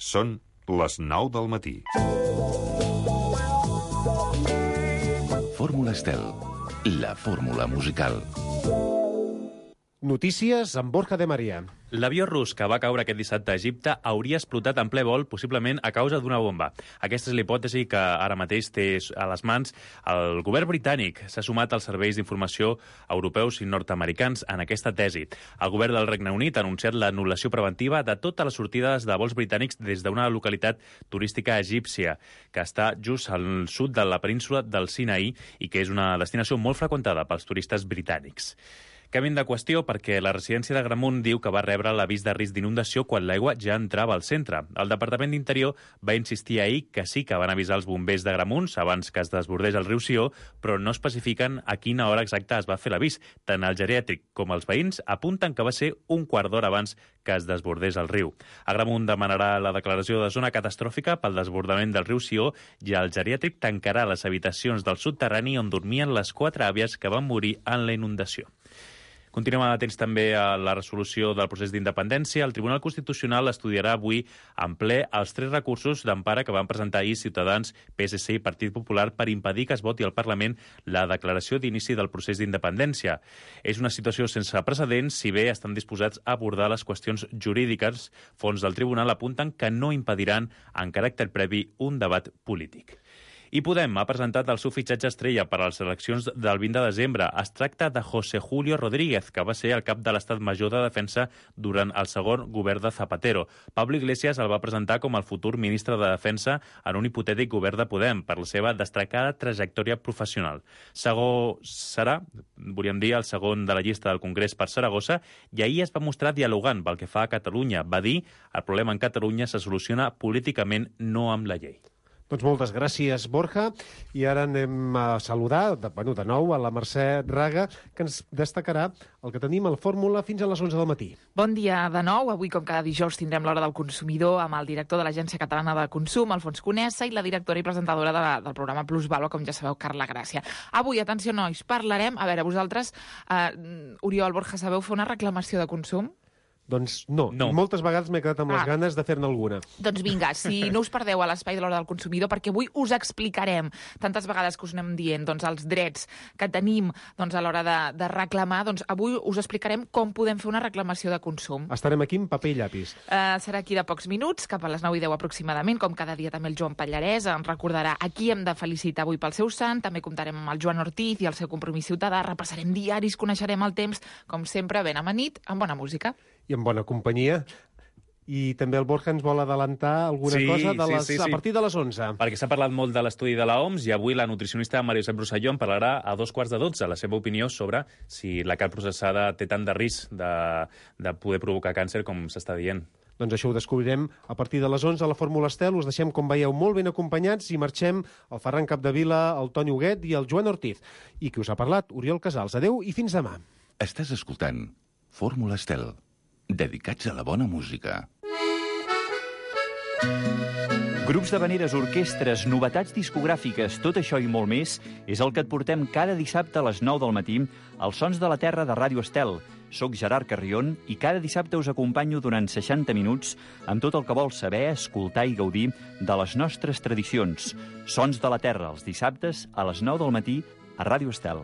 Són les 9 del matí. Fórmula Estel, la fórmula musical. Notícies amb Borja de Maria. L'avió rus que va caure aquest dissabte a Egipte hauria explotat en ple vol, possiblement a causa d'una bomba. Aquesta és l'hipòtesi que ara mateix té a les mans el govern britànic. S'ha sumat als serveis d'informació europeus i nord-americans en aquesta tesi. El govern del Regne Unit ha anunciat l'anul·lació preventiva de totes les sortides de vols britànics des d'una localitat turística egípcia, que està just al sud de la península del Sinaí i que és una destinació molt freqüentada pels turistes britànics. Canviem de qüestió perquè la residència d'Agramunt diu que va rebre l'avís de risc d'inundació quan l'aigua ja entrava al centre. El Departament d'Interior va insistir ahir que sí que van avisar els bombers d'Agramunt abans que es desbordés el riu Sió, però no especifiquen a quina hora exacta es va fer l'avís. Tant el geriàtric com els veïns apunten que va ser un quart d'hora abans que es desbordés el riu. Agramunt demanarà la declaració de zona catastròfica pel desbordament del riu Sió i el geriàtric tancarà les habitacions del soterrani on dormien les 4 àvies que van morir en la inundació. Continuem atents també a la resolució del procés d'independència. El Tribunal Constitucional estudiarà avui en ple els 3 recursos d'empara que van presentar ahir Ciutadans, PSC i Partit Popular per impedir que es voti al Parlament la declaració d'inici del procés d'independència. És una situació sense precedents, si bé estan disposats a abordar les qüestions jurídiques. Fons del Tribunal apunten que no impediran en caràcter previ un debat polític. I Podem ha presentat el seu fitxatge estrella per a les eleccions del 20 de desembre. Es tracta de José Julio Rodríguez, que va ser el cap de l'Estat Major de Defensa durant el segon govern de Zapatero. Pablo Iglesias el va presentar com el futur ministre de Defensa en un hipotètic govern de Podem per la seva destacada trajectòria professional. Serà, volíem dir, el segon de la llista del Congrés per Saragossa i ahir es va mostrar dialogant pel que fa a Catalunya. Va dir el problema en Catalunya se soluciona políticament, no amb la llei. Doncs moltes gràcies, Borja. I ara anem a saludar, de nou, a la Mercè Raga, que ens destacarà el que tenim al Fórmula fins a les 11 del matí. Bon dia de nou. Avui, com cada dijous, tindrem l'Hora del Consumidor amb el director de l'Agència Catalana de Consum, Alfons Conesa, i la directora i presentadora del programa Plus Valua, com ja sabeu, Carla Gràcia. Avui, atenció, nois, parlarem... A veure, vosaltres, Oriol, Borja, sabeu fer una reclamació de consum? Doncs no. Moltes vegades m'he quedat amb les ganes de fer-ne alguna. Doncs vinga, si no us perdeu a l'espai de l'Hora del Consumidor, perquè avui us explicarem, tantes vegades que us anem dient, doncs, els drets que tenim doncs, a l'hora de reclamar, doncs avui us explicarem com podem fer una reclamació de consum. Estarem aquí amb paper i llapis. Serà aquí de pocs minuts, cap a les 9:10 aproximadament, com cada dia també el Joan Pallarès ens recordarà a qui hem de felicitar avui pel seu sant, també comptarem amb el Joan Ortiz i el seu compromís ciutadà, repassarem diaris, coneixerem el temps, com sempre, ben amanit, amb bona música. I en bona companyia. I també el Borja ens vol adelantar alguna cosa a partir de les 11. Perquè s'ha parlat molt de l'estudi de l'OMS i avui la nutricionista Maria Josep Rosselló en parlarà a 11:15 la seva opinió sobre si la carn processada té tant de risc de poder provocar càncer com s'està dient. Doncs això ho descobrirem a partir de les 11 a la Fórmula Estel. Us deixem, com veieu, molt ben acompanyats i marxem el Ferran Capdevila, el Toni Huguet i el Joan Ortiz. I qui us ha parlat? Oriol Casals. Adeu i fins demà. Estàs escoltant Fórmula Estel, dedicats a la bona música. Grups d'havaneres, orquestres, novetats discogràfiques, tot això i molt més és el que et portem cada dissabte a les 9 del matí als Sons de la Terra de Ràdio Estel. Soc Gerard Carrion i cada dissabte us acompanyo durant 60 minuts amb tot el que vols saber, escoltar i gaudir de les nostres tradicions. Sons de la Terra, els dissabtes a les 9 del matí a Ràdio Estel.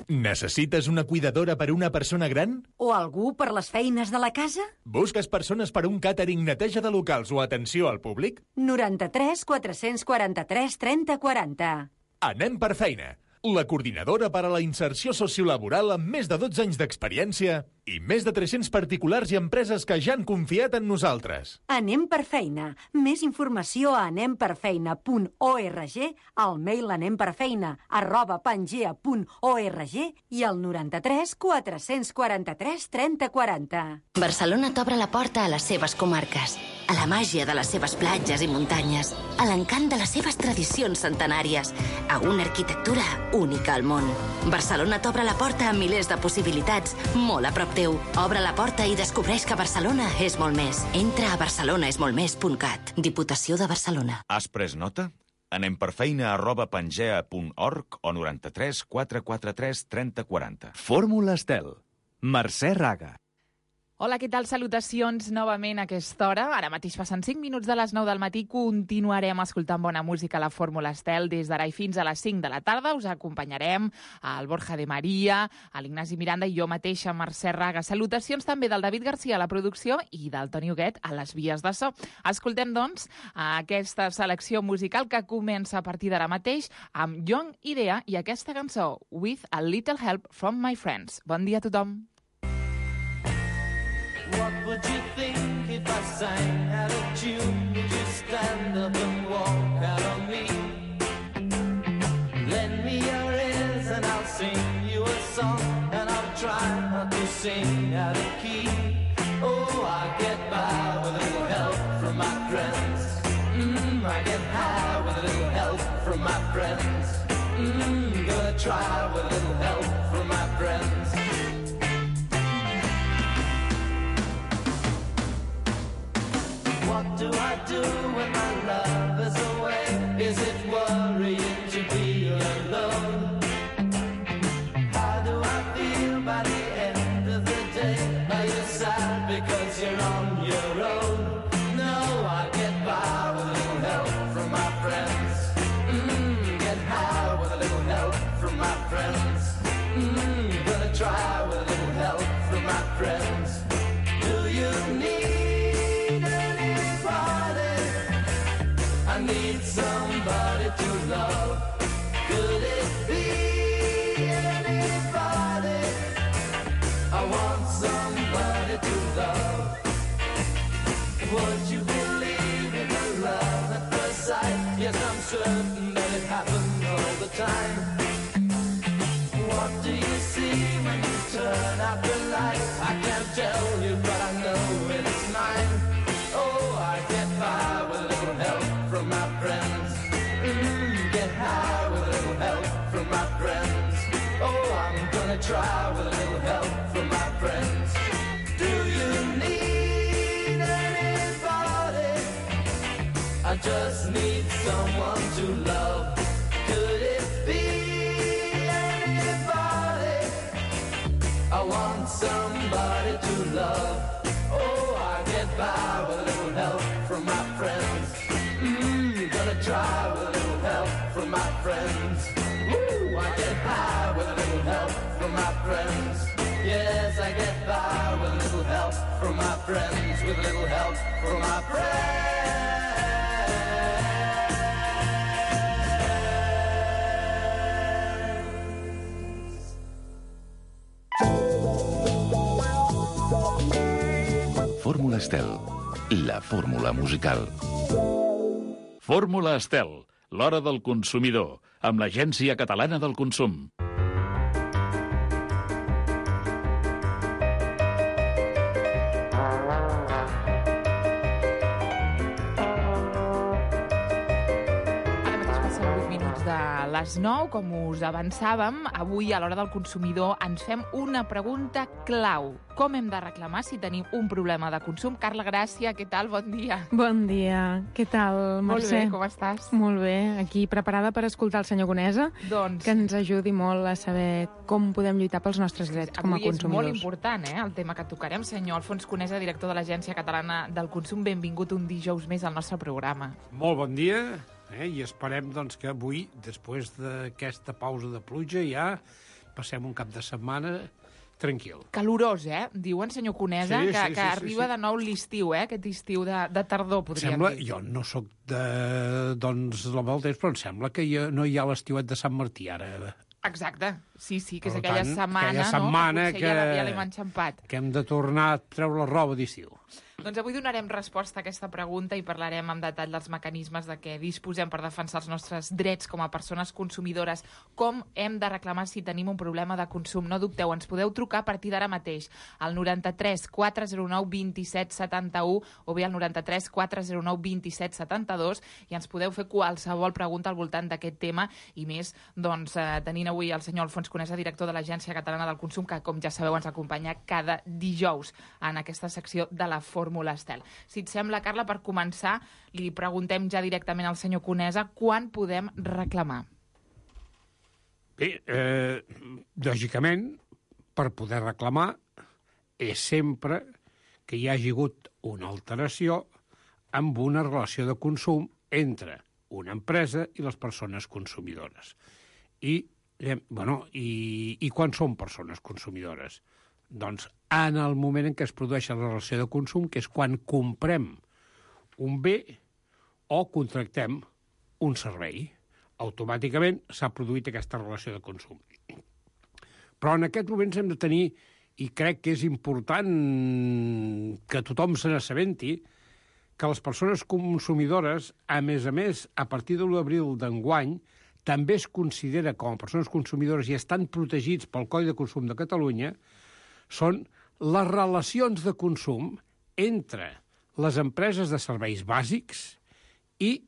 Necessites una cuidadora per una persona gran? O algú per les feines de la casa? Busques persones per un càtering, neteja de locals o atenció al públic? 93 443 30 40. Anem per feina. La coordinadora per a la inserció sociolaboral amb més de 12 anys d'experiència i més de 300 particulars i empreses que ja han confiat en nosaltres. Anem per feina. Més informació a anemperfeina.org, al mail anemperfeina@pangea.org i al 93 443 30 40. Barcelona t'obre la porta a les seves comarques, a la màgia de les seves platges i muntanyes, a l'encant de les seves tradicions centenàries, a una arquitectura única al món. Barcelona t'obre la porta a milers de possibilitats, molt a prop teu. Obre la porta i descobreix que Barcelona és molt més. Entra a barcelonaesmoltmés.cat. Diputació de Barcelona. Has pres nota? Anem per feina@pangea.org o 93 443 30 40. Fórmula Estel. Mercè Raga. Hola, què tal? Salutacions novament a aquesta hora. Ara mateix passen 5 minuts de les 9 del matí. Continuarem escoltant bona música a la Fórmula Estel des d'ara i fins a les 5 de la tarda. Us acompanyarem al Borja de Maria, a l'Ignasi Miranda i jo mateixa, Mercè Raga. Salutacions també del David Garcia a la producció i del Toni Huguet a les vies de so. Escoltem, doncs, aquesta selecció musical que comença a partir d'ara mateix amb Young Idea i aquesta cançó, With a Little Help from My Friends. Bon dia a tothom. What would you think if I sang out of tune? Would you stand up and walk out on me? Lend me your ears and I'll sing you a song, and I'll try not to sing out of key. Oh, I get by with a little help from my friends. I get high with a little help from my friends. Gonna try with a little help from my friends. What do I do when my love is away? Is it worrying to be alone? How do I feel by the end of the day? Are you sad because you're on your own? No, I get by with a little help from my friends. Get high with a little help from my friends. Gonna try with a little help from my friends. Do you need I need somebody to love. Could it be anybody? I want somebody to love. Would you believe in the love at first sight? Yes, I'm certain that it happened all the time. What do you see when you turn out the light? I can't tell you, but I know it's mine. Oh, I get by with a little help from my friends. Get high with a little help from my friends. Oh, I'm gonna try with a little help from my friends. Do you need anybody? I just need someone to love. Could it be anybody? I want somebody to love. Oh, I get by with a little help from my friends. Gonna try with a little help from my friends. Woo, I get by with a little help from my friends. Yes, I get by with a little help from my friends. With a little help from my friends. Fórmula Estel, la fórmula musical. Fórmula Estel, l'hora del consumidor, amb l'Agència Catalana del Consum. Les 9, com us avançàvem, avui a l'hora del consumidor ens fem una pregunta clau. Com hem de reclamar si tenim un problema de consum? Carla Gràcia, què tal? Bon dia. Bon dia. Què tal, Mercè? Molt bé, com estàs? Molt bé. Aquí preparada per escoltar el senyor Conesa, que ens ajudi molt a saber com podem lluitar pels nostres drets com a consumidors. Avui és molt important, el tema que tocarem. Senyor Alfons Conesa, director de l'Agència Catalana del Consum, benvingut un dijous més al nostre programa. Molt bon dia. I esperem doncs, que avui, després d'aquesta pausa de pluja, ja passem un cap de setmana tranquil. Calorós, diuen, senyor Conesa, que arriba de nou l'estiu, aquest estiu de tardor, podríem dir. Jo no sóc doncs, l'home del temps, però em sembla que no hi ha l'estiuet de Sant Martí ara. Exacte, sí, que és aquella setmana, que potser ja l'hem enxampat. Que hem de tornar a treure la roba d'estiu. Doncs avui donarem resposta a aquesta pregunta i parlarem en detall dels mecanismes de què disposem per defensar els nostres drets com a persones consumidores, com hem de reclamar si tenim un problema de consum. No dubteu, ens podeu trucar a partir d'ara mateix al 93 409 27 71 o bé al 93 409 27 72 i ens podeu fer qualsevol pregunta al voltant d'aquest tema i més, doncs, tenint avui el senyor Alfons Conesa, director de l'Agència Catalana del Consum, que, com ja sabeu, ens acompanya cada dijous en aquesta secció de la Fórmula Estel. Si et sembla, Carla, per començar, li preguntem ja directament al senyor Conesa quan podem reclamar. Bé, lògicament, per poder reclamar és sempre que hi hagi hagut una alteració amb una relació de consum entre una empresa i les persones consumidores. I quan són persones consumidores? Doncs en el moment en què es produeix la relació de consum, que és quan comprem un bé o contractem un servei. Automàticament s'ha produït aquesta relació de consum. Però en aquests moments hem de tenir, i crec que és important que tothom se n'assabenti, que les persones consumidores, a més, a partir de l'1 d'abril d'enguany, també es considera com a persones consumidores i estan protegits pel Codi de Consum de Catalunya, són les relacions de consum entre les empreses de serveis bàsics i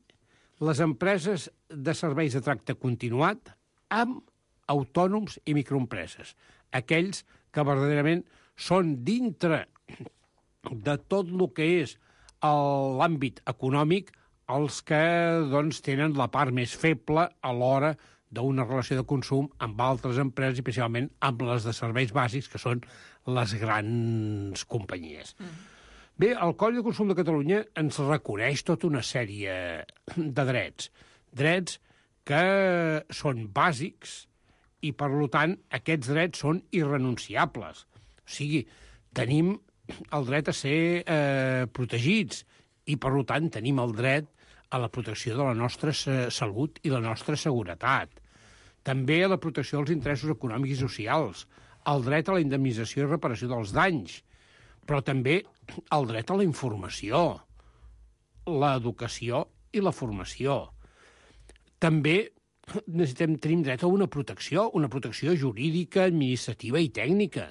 les empreses de serveis de tracte continuat amb autònoms i microempreses, aquells que verdaderament són dintre de tot el que és l'àmbit econòmic els que doncs, tenen la part més feble a l'hora d'una relació de consum amb altres empreses, i especialment amb les de serveis bàsics, que són les grans companyies. Bé, el Codi de Consum de Catalunya ens reconeix tota una sèrie de drets. Drets que són bàsics i, per tant, aquests drets són irrenunciables. O sigui, tenim el dret a ser protegits i, per tant, tenim el dret a la protecció de la nostra salut i la nostra seguretat. També a la protecció dels interessos econòmics i socials, el dret a la indemnització i reparació dels danys, però també el dret a la informació, l'educació i la formació. També tenim dret a una protecció jurídica, administrativa i tècnica.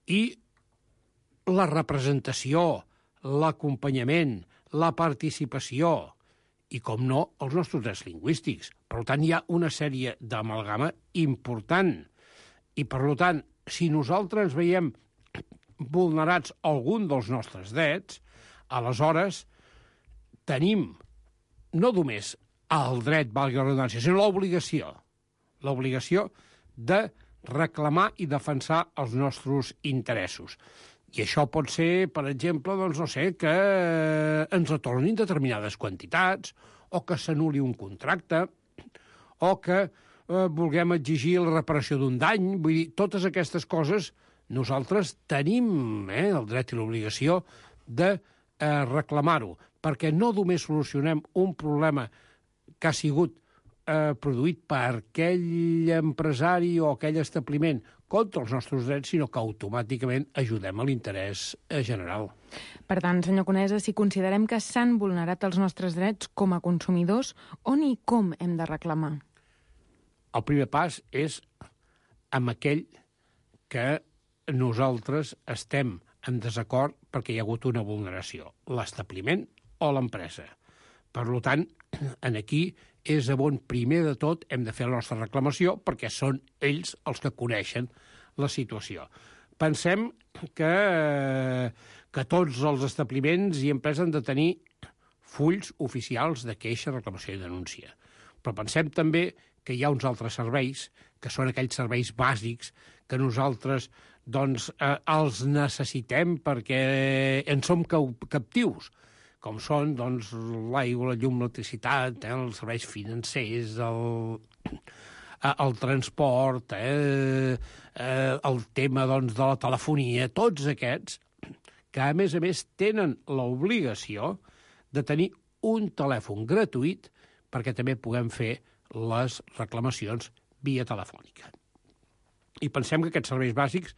I la representació, l'acompanyament, la participació i, com no, els nostres drets lingüístics. Per tant, hi ha una sèrie d'amalgama important. I, per tant, si nosaltres veiem vulnerats algun dels nostres drets, aleshores tenim no només el dret, valgui la redundància, sinó l'obligació de reclamar i defensar els nostres interessos. I això pot ser, per exemple, doncs, no sé, que ens retornin determinades quantitats, o que s'anul·li un contracte, o que vulguem exigir la reparació d'un dany. Vull dir, totes aquestes coses nosaltres tenim el dret i l'obligació de reclamar-ho, perquè no només solucionem un problema que ha sigut produït per aquell empresari o aquell establiment contra els nostres drets, sinó que automàticament ajudem a l'interès general. Per tant, senyor Conesa, si considerem que s'han vulnerat els nostres drets com a consumidors, on i com hem de reclamar? El primer pas és amb aquell que nosaltres estem en desacord perquè hi ha hagut una vulneració, l'establiment o l'empresa. Per tant, aquí és on primer de tot hem de fer la nostra reclamació, perquè són ells els que coneixen la situació. Pensem que tots els establiments i empreses han de tenir fulls oficials de queixa, reclamació i denúncia. Però pensem també que hi ha uns altres serveis, que són aquells serveis bàsics que nosaltres doncs, els necessitem perquè en som captius, com són doncs, l'aigua, la llum, l'electricitat, els serveis financers, el transport, el tema doncs, de la telefonia, tots aquests que, a més, tenen l'obligació de tenir un telèfon gratuït perquè també puguem fer les reclamacions via telefònica. I pensem que aquests serveis bàsics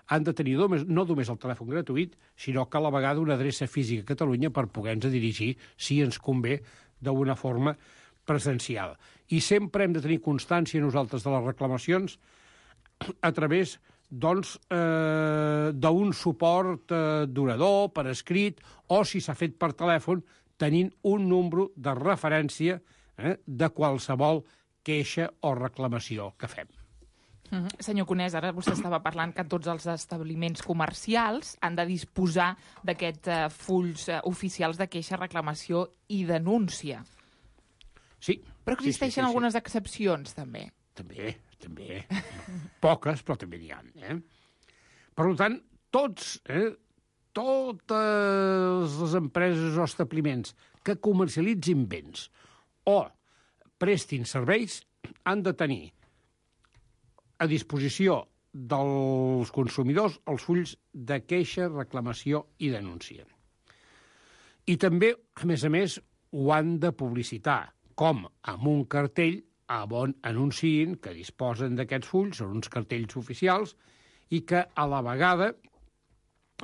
han de tenir no només el telèfon gratuït, sinó que a la vegada una adreça física a Catalunya per poder-nos dirigir, si ens convé, d'una forma presencial. I sempre hem de tenir constància nosaltres de les reclamacions a través doncs, d'un suport durador, per escrit, o si s'ha fet per telèfon, tenint un número de referència de qualsevol queixa o reclamació que fem. Senyor Conesa, ara vostè estava parlant que tots els establiments comercials han de disposar d'aquests fulls oficials de queixa, reclamació i denúncia. Sí. Però existeixen algunes excepcions, també. També. Poques, però també n'hi ha. Per tant, tots totes les empreses o establiments que comercialitzin béns o prestin serveis han de tenir a disposició dels consumidors els fulls de queixa, reclamació i denúncia. I també, a més, ho han de publicitar, com amb un cartell on anunciïn que disposen d'aquests fulls, són uns cartells oficials, i que a la vegada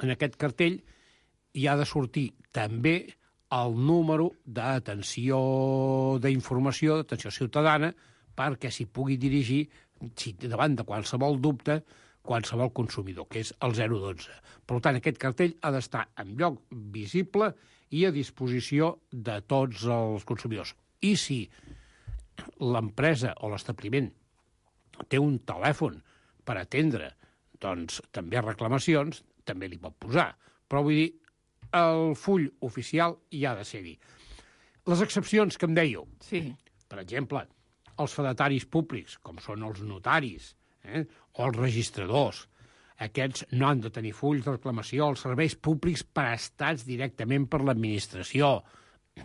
en aquest cartell hi ha de sortir també el número d'atenció d'informació, d'atenció ciutadana, perquè s'hi pugui dirigir davant de qualsevol dubte qualsevol consumidor, que és el 012. Per tant, aquest cartell ha d'estar en lloc visible i a disposició de tots els consumidors. I si l'empresa o l'establiment té un telèfon per atendre doncs, també reclamacions, també li pot posar. Però vull dir, el full oficial hi ha de ser-hi. Les excepcions que em dèieu, sí. Per exemple, els fedataris públics, com són els notaris o els registradors, aquests no han de tenir fulls de reclamació. Els serveis públics prestats directament per l'administració,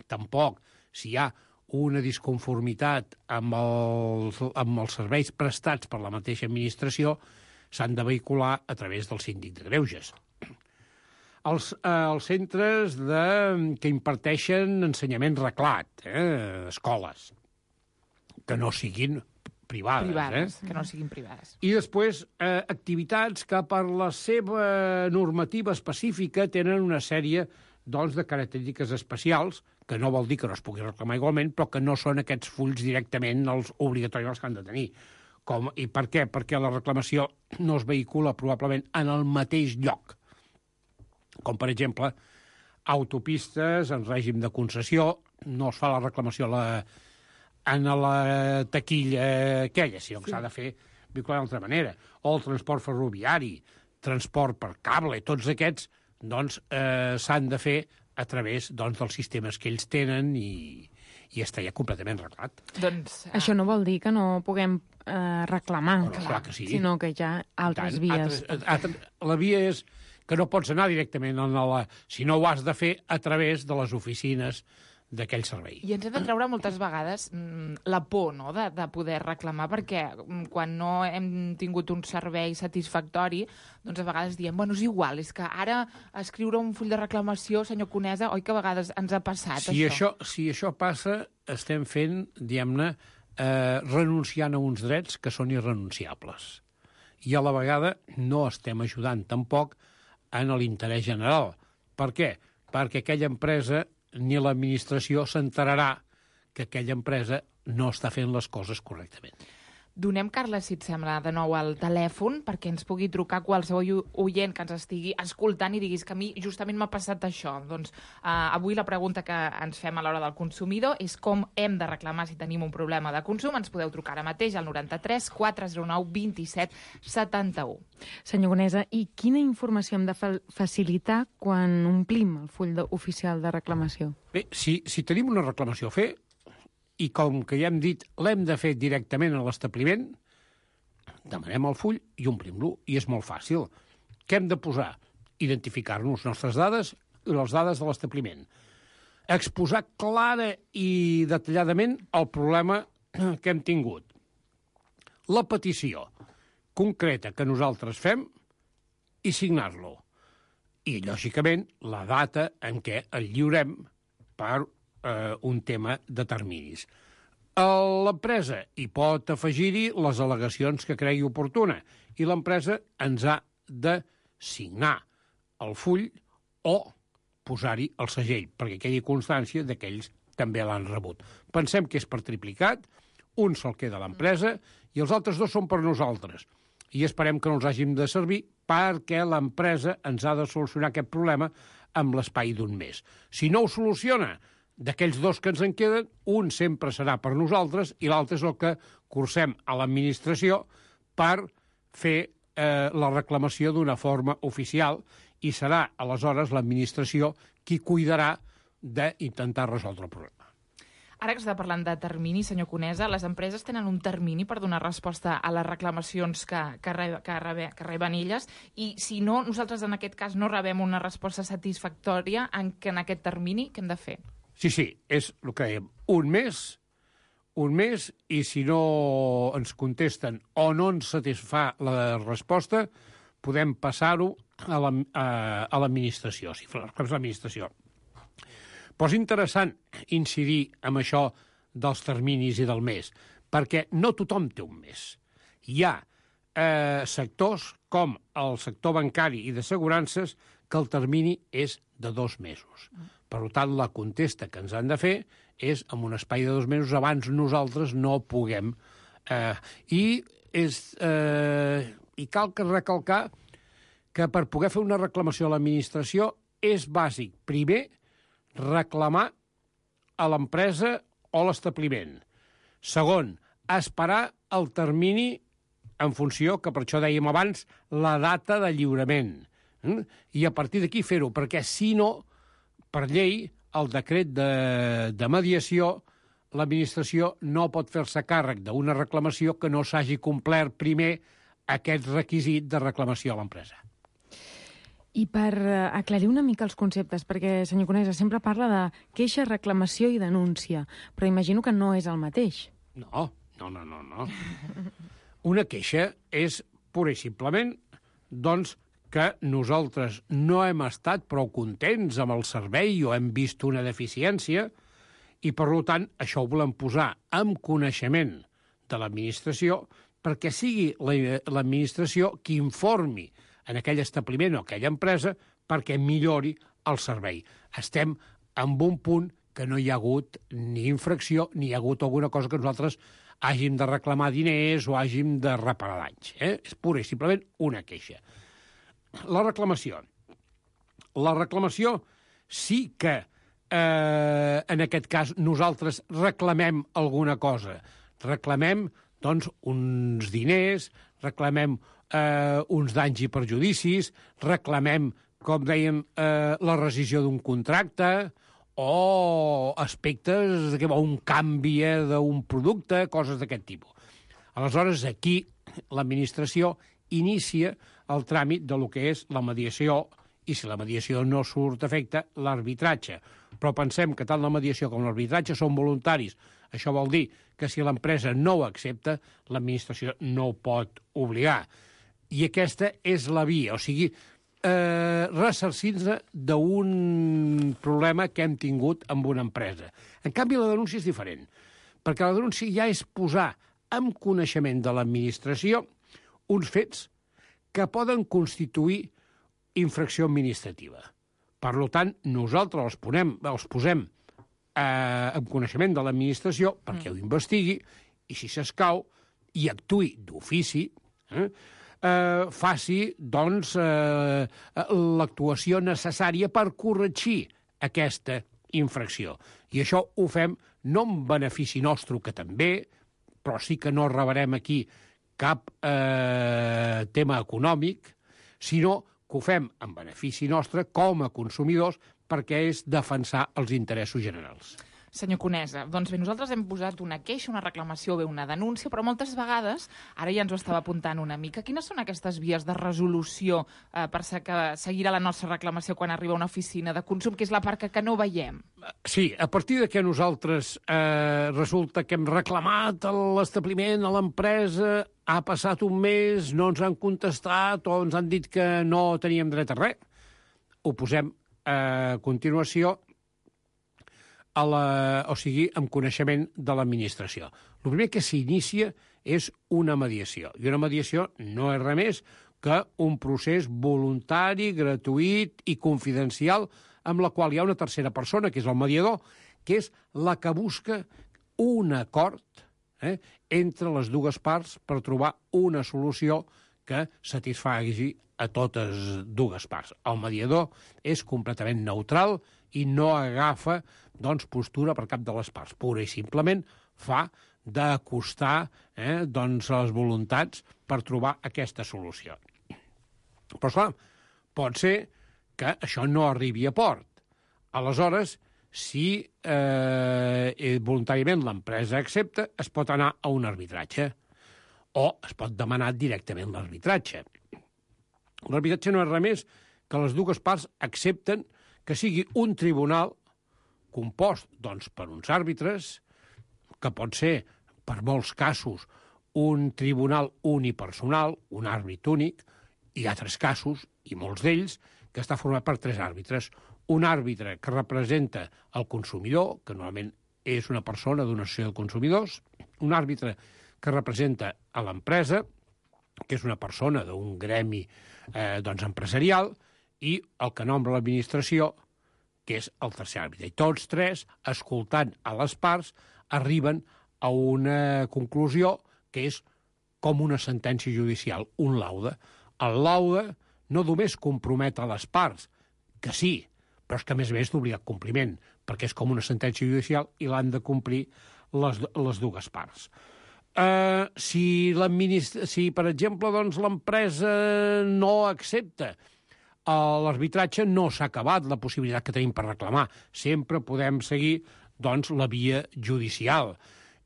tampoc. Si hi ha una disconformitat amb els serveis prestats per la mateixa administració, s'han de vehicular a través del síndic de greuges. Els centres que imparteixen ensenyament reglat, escoles, que no siguin privades. Que no siguin privades. I després, activitats que per la seva normativa específica tenen una sèrie de característiques especials, que no vol dir que no es pugui reclamar igualment, però que no són aquests fulls directament els obligatoris que han de tenir. I per què? Perquè la reclamació no es vehicula probablement en el mateix lloc. Com, per exemple, autopistes en règim de concessió, no es fa la reclamació en la taquilla aquella, sinó que s'ha de fer d'una altra manera. O el transport ferroviari, transport per cable, tots aquests s'han de fer a través dels sistemes que ells tenen i està ja completament reglat. Això no vol dir que no puguem reclamar, clar que sí. Sinó que hi ha altres vies. La via és que no pots anar directament si no ho has de fer a través de les oficines d'aquell servei. I ens hem de treure moltes vegades la por, no?, de poder reclamar, perquè quan no hem tingut un servei satisfactori, doncs a vegades diem, bueno, és igual, és que ara escriure un full de reclamació, senyor Conesa, oi que a vegades ens ha passat això? Si això passa, estem fent, diguem-ne, renunciant a uns drets que són irrenunciables. I a la vegada no estem ajudant tampoc en l'interès general. Per què? Perquè aquella empresa ni l'administració s'enterarà que aquella empresa no està fent les coses correctament. Donem, Carles, si et sembla, de nou al telèfon perquè ens pugui trucar qualsevol oient que ens estigui escoltant i diguis que a mi justament m'ha passat això. Doncs avui la pregunta que ens fem a l'hora del consumidor és com hem de reclamar si tenim un problema de consum. Ens podeu trucar ara mateix al 93 409 27 71. Senyor Conesa, i quina informació hem de facilitar quan omplim el full oficial de reclamació? Bé, si tenim una reclamació a fer, i com que ja hem dit, l'hem de fer directament a l'establiment, demanem el full i omplim-lo, i és molt fàcil. Què hem de posar? Identificar-nos les nostres dades i les dades de l'establiment. Exposar clara i detalladament el problema que hem tingut. La petició concreta que nosaltres fem i signar-lo. I, lògicament, la data en què el lliurem per un tema de terminis. L'empresa hi pot afegir-hi les al·legacions que cregui oportuna i l'empresa ens ha de signar el full o posar-hi el segell, perquè quedi constància que ells també l'han rebut. Pensem que és per triplicat, un sol queda a l'empresa i els altres dos són per nosaltres. I esperem que no els hàgim de servir perquè l'empresa ens ha de solucionar aquest problema amb l'espai d'un mes. Si no ho soluciona, d'aquells dos que ens en queden, un sempre serà per nosaltres i l'altre és el que cursem a l'administració per fer la reclamació d'una forma oficial i serà, aleshores, l'administració qui cuidarà d'intentar resoldre el problema. Ara que està parlant de termini, senyor Conesa, les empreses tenen un termini per donar resposta a les reclamacions que reben elles, i si no, nosaltres en aquest cas no rebem una resposta satisfactòria en aquest termini, què hem de fer? Sí, és el que dèiem, un mes, i si no ens contesten o no ens satisfà la resposta, podem passar-ho a l'administració, si fa l'administració. Però és interessant incidir en això dels terminis i del mes, perquè no tothom té un mes. Hi ha sectors, com el sector bancari i d'assegurances, que el termini és de 2 mesos. Per tant, la contesta que ens han de fer és en un espai de 2 mesos, abans nosaltres no puguem. I cal recalcar que per poder fer una reclamació a l'administració és bàsic, primer, reclamar a l'empresa o l'establiment. Segon, esperar el termini en funció, que per això dèiem abans, la data de lliurament. I a partir d'aquí fer-ho, perquè si no, per llei, el decret de mediació, l'administració no pot fer-se càrrec d'una reclamació que no s'hagi complert primer aquest requisit de reclamació a l'empresa. I per aclarir una mica els conceptes, perquè, senyor Conesa, sempre parla de queixa, reclamació i denúncia, però imagino que no és el mateix. No. Una queixa és, pura i simplement, doncs, que nosaltres no hem estat prou contents amb el servei o hem vist una deficiència i, per tant, això ho volem posar en coneixement de l'administració perquè sigui l'administració qui informi en aquell establiment o aquella empresa perquè millori el servei. Estem en un punt que no hi ha hagut ni infracció ni hi ha hagut alguna cosa que nosaltres hàgim de reclamar diners o hàgim de reparar danys. És pura i simplement una queixa. La reclamació. La reclamació sí que en aquest cas nosaltres reclamem alguna cosa. Reclamem, doncs, uns diners, reclamem uns danys i perjudicis, reclamem, com dèiem, la rescisió d'un contracte o aspectes o un canvi d'un producte, coses d'aquest tipus. Aleshores, aquí l'administració inicia el tràmit de lo que és la mediació i, si la mediació no surt a efecte, l'arbitratge. Però pensem que tant la mediació com l'arbitratge són voluntaris. Això vol dir que si l'empresa no ho accepta, l'administració no ho pot obligar. I aquesta és la via, o sigui, ressarcir-se d'un problema que hem tingut amb una empresa. En canvi, la denúncia és diferent, perquè la denúncia ja és posar en coneixement de l'administració uns fets que poden constituir infracció administrativa. Per tant, nosaltres els posem en coneixement de l'administració perquè ho investigui i, si s'escau, i actuï d'ofici, faci, doncs, l'actuació necessària per corregir aquesta infracció. I això ho fem no en benefici nostre, que també, però sí que no rebrem aquí cap tema econòmic, sinó que ho fem en benefici nostre com a consumidors perquè és defensar els interessos generals. Senyor Conesa, doncs bé, nosaltres hem posat una queixa, una reclamació, bé, una denúncia, però moltes vegades, ara ja ens ho estava apuntant una mica, quines són aquestes vies de resolució per seguir a la nostra reclamació quan arriba a una oficina de consum, que és la part que no veiem? Sí, a partir de que nosaltres resulta que hem reclamat a l'establiment, a l'empresa, ha passat un mes, no ens han contestat o ens han dit que no teníem dret a res, ho posem a continuació en coneixement de l'administració. El primer que s'inicia és una mediació. I una mediació no és res més que un procés voluntari, gratuït i confidencial amb la qual hi ha una tercera persona, que és el mediador, que és la que busca un acord entre les dues parts per trobar una solució que satisfagui a totes dues parts. El mediador és completament neutral i no agafa postura per cap de les parts. Pura i simplement fa d'acostar les voluntats per trobar aquesta solució. Però, esclar, pot ser que això no arribi a port. Aleshores, si voluntàriament l'empresa accepta, es pot anar a un arbitratge o es pot demanar directament l'arbitratge. L'arbitratge no és res més que les dues parts accepten que sigui un tribunal compost per uns àrbitres, que pot ser, per molts casos, un tribunal unipersonal, un àrbit únic, i altres casos, i molts d'ells, que està format per 3 àrbitres. Un àrbitre que representa el consumidor, que normalment és una persona d'una associació de consumidors, un àrbitre que representa a l'empresa, que és una persona d'un gremi empresarial, i el que nombra l'administració, que és el tercer àrbitre. I tots 3, escoltant a les parts, arriben a una conclusió que és com una sentència judicial, un laude. El laude no només compromet a les parts, que sí, però és que a més d'obligat compliment, perquè és com una sentència judicial i l'han de complir les dues parts. Si, per exemple, l'empresa no accepta l'arbitratge, no s'ha acabat la possibilitat que tenim per reclamar. Sempre podem seguir la via judicial.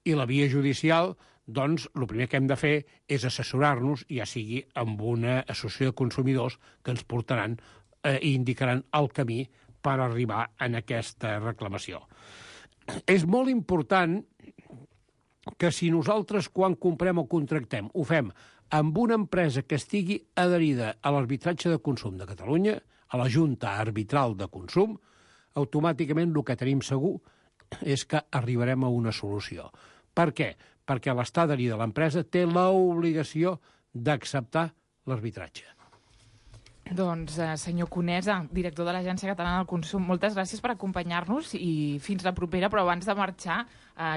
I la via judicial, el primer que hem de fer és assessorar-nos, ja sigui amb una associació de consumidors que ens portaran i indicaran el camí per arribar a aquesta reclamació. És molt important que si nosaltres, quan comprem o contractem, ho fem amb una empresa que estigui adherida a l'arbitratge de consum de Catalunya, a la Junta Arbitral de Consum, automàticament el que tenim segur és que arribarem a una solució. Per què? Perquè l'estat adherit de l'empresa té l'obligació d'acceptar l'arbitratge. Doncs, senyor Conesa, director de l'Agència Catalana del Consum, moltes gràcies per acompanyar-nos i fins la propera, però abans de marxar,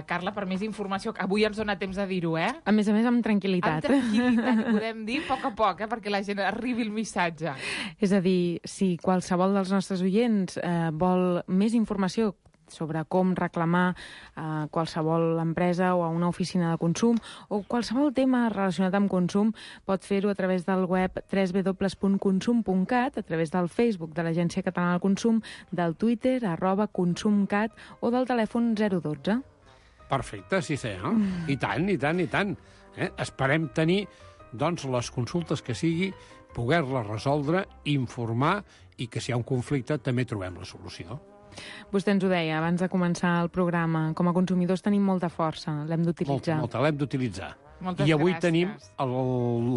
Carla, per més informació, avui ens dona temps de dir-ho, A més, amb tranquil·litat. Amb tranquil·litat, podem dir a poc, perquè la gent arribi el missatge. És a dir, si qualsevol dels nostres oients vol més informació sobre com reclamar a qualsevol empresa o a una oficina de consum o qualsevol tema relacionat amb consum, pot fer-ho a través del web www.consum.cat, a través del Facebook de l'Agència Catalana del Consum, del Twitter, @consumcat o del telèfon 012. Perfecte, sí, I tant, i tant, i tant. Esperem tenir, les consultes que sigui, poder-les resoldre, informar i que si hi ha un conflicte també trobem la solució. Vostè ens ho deia abans de començar el programa. Com a consumidors tenim molta força, l'hem d'utilitzar. Molta, l'hem d'utilitzar. Moltes I avui gràcies. tenim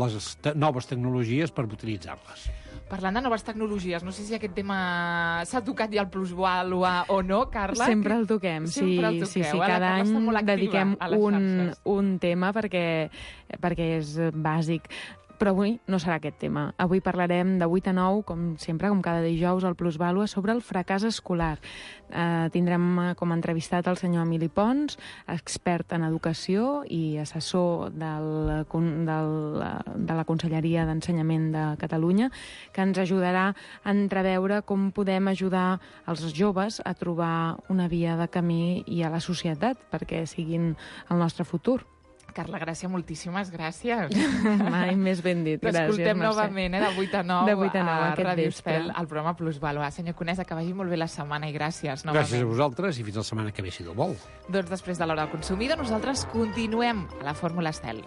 les noves tecnologies per utilitzar-les. Parlant de noves tecnologies, no sé si aquest tema s'ha tocat ja al plusvàlua o no, Carla. Sempre el toquem, sí. Cada any dediquem un tema perquè és bàsic. Però avui no serà aquest tema. Avui parlarem de 8 a 9, com sempre, com cada dijous, al Plusvàlua, sobre el fracàs escolar. Tindrem com a entrevistat el senyor Emili Pons, expert en educació i assessor de la Conselleria d'Ensenyament de Catalunya, que ens ajudarà a entreveure com podem ajudar els joves a trobar una via de camí i a la societat perquè siguin el nostre futur. Carla Gràcia, moltíssimes gràcies. Mai més ben dit. T'escoltem novament, de 8 a 9, de 8 a 9 a Ràdio Estel, al programa Plusvàlua. Senyor Conesa, que vagi molt bé la setmana i gràcies novament. Gràcies a vosaltres i fins la setmana que ve, si Déu vol. Doncs després de l'hora del consumidor, nosaltres continuem a la Fórmula Estel.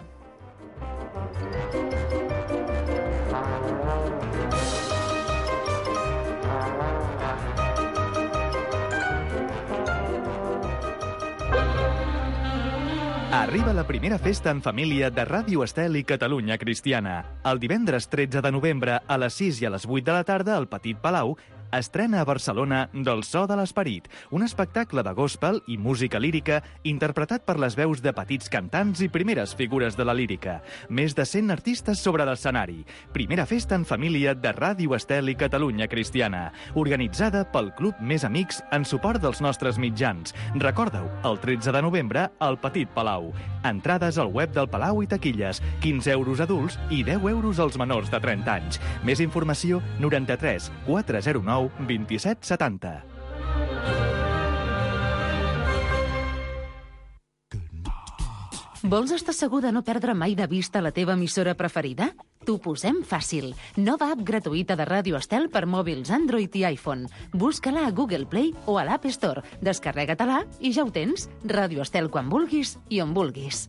Arriba la primera festa en família de Ràdio Estel i Catalunya Cristiana. El divendres 13 de novembre, a les 6 i a les 8 de la tarda, al Petit Palau, estrena a Barcelona Del so de l'esperit, un espectacle de gospel i música lírica interpretat per les veus de petits cantants i primeres figures de la lírica. Més de 100 artistes sobre l'escenari. Primera festa en família de Ràdio Estel i Catalunya Cristiana, organitzada pel Club Més Amics en suport dels nostres mitjans. Recorda-ho, el 13 de novembre al Petit Palau. Entrades al web del Palau i taquilles, 15 euros adults i 10 euros als menors de 30 anys. Més informació, 93 409 2770. Vols estar segur de no perdre mai de vista la teva emissora preferida? T'ho posem fàcil. Nova app gratuïta de Ràdio Estel per mòbils Android i iPhone. Busca-la a Google Play o a l'App Store. Descarrega-te-la i ja ho tens. Ràdio Estel quan vulguis i on vulguis.